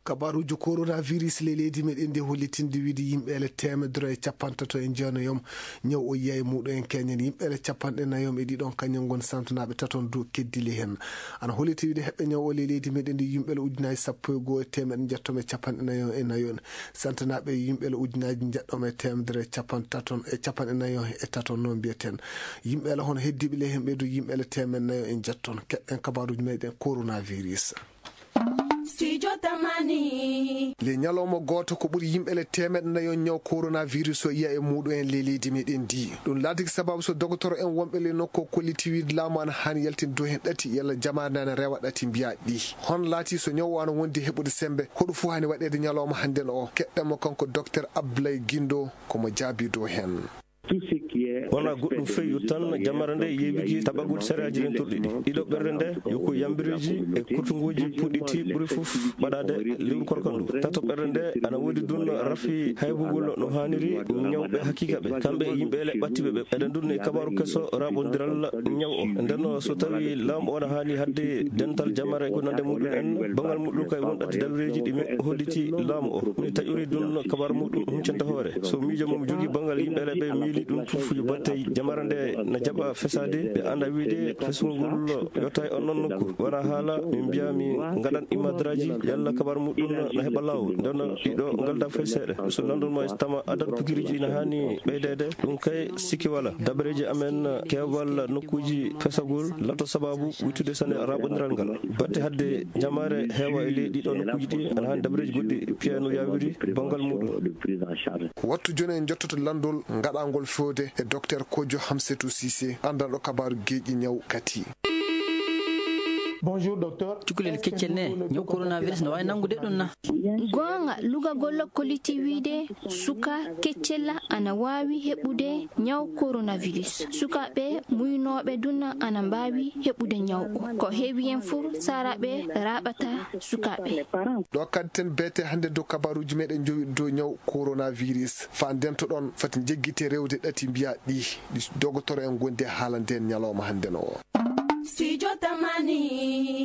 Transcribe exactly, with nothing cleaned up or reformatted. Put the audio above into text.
kabaruji coronavirus le leydi meɗen ndi hollitinde wiide yimɓeele temedere e capantato e jeenayom ñaw o yiya e muɗum en keñen yimɓeele capanɗe nayom e ɗiɗon kañum gon santunaɓe taton dow keddili hen ana holliti wiide heɓɓe ñaw o le leydi meɗen ndi yimɓeele ujunaji sappo e goho e temeɗe jettome capanɗe nayo e nayon santunaɓe yimɓeele ujunaji jeɗɗome e temedere e capantaton e capanɗe nayo e taton noon mbiyeten yimɓeele hono heddiɓe le hen ɓeydo yimɓeele temeɗe nayo en jetton keɗɗen kabaruji meɗen coronavirus. Studio Tamani. Le ñalawma goto ko ɓuri yimɓele temeɗe nayo ñaw coronavirus o yiya e muɗum en le leydi meɗen ndi ɗum laatiki sababu so docteur en wonɓe le nokko kolliti wiide laamu ana hani yaltin dow hen ɗati yalla jamade ana rewa ɗati mbiya ɗi hon laati so ñaw o ana wondi heɓude sembe hoɗo fuu hani waɗede ñalawma hannden o keɗɗenmo kanko docteur Abdoulaye Guindo komo jaabi dow hen. wona goɗɗum feewi tan jamara nde yeewiki taɓagol séréaji ɗen turɗiɗi ɗiɗo ɓerde nde yoko yambireji e kurtunguji puɗɗiti ɓuuri fof waɗade lewru korkandu tato ɓerde nde ana woodi dun rafi haybugol no haniri ñawɓe hakkika ɓe kamɓe yimɓeele ɓattiɓe ɓe eɗen dunne kabaru kesso raɓodiral ñaw o nden so tawi laamu o ne haali hadde dental jamara ko nande muɗum en bangal muɗum kay won ɗatti dalleji ɗime holliti laamu o mi taƴuri dun kabaru muɗum huccanta hoore so miijo mum jogui bangal yimɓeele ɓe miili ɗum fof yo batte jamara nde na jaɓa fesade ɓe anda wiide fesugol yotta e on ɗon nokku wona haala min mbiya mi gaɗan imadraji yalla kabaru muɗum na heeɓa lawol nden ɗiɗo galda fay seeɗa so landunma tama adad pikiriji ne hani ɓeydede ɗum kay sikki wala dabareji amen kewal nokkuji fesagol lato sababu wittude sane raɓodiral ngal batte hadde jamare heewa e ley ɗiɗo nokkuji ɗi ana hani dabareji goɗɗi piya no yawiri bangal muɗum wattu joni en jottoto landol gaɗangol fewde e docteur Kojo Hamsetou Cissé andanɗo kabaru geeƴi ñaw kati. Bonjour docteur. Cukalel keccel ne ñaw coronavirus no wawi nangude ɗum na? Gonga lugagol kolliti wiide suka keccella ana wawi heɓude ñaw coronavirus sukaɓe muynoɓe dunna ana mbawi heɓude ñaw o ko heewi en fof saraɓe raɓata sukaɓe ɗo kadi ten beete hande dow kabaruji meɗen jowi dow ñaw coronavirus fa ndento ɗon fati jeggite rewde ɗati mbiya ɗi ɗi docteur en gondi haala nden ñalawma hande o. Studio Tamani.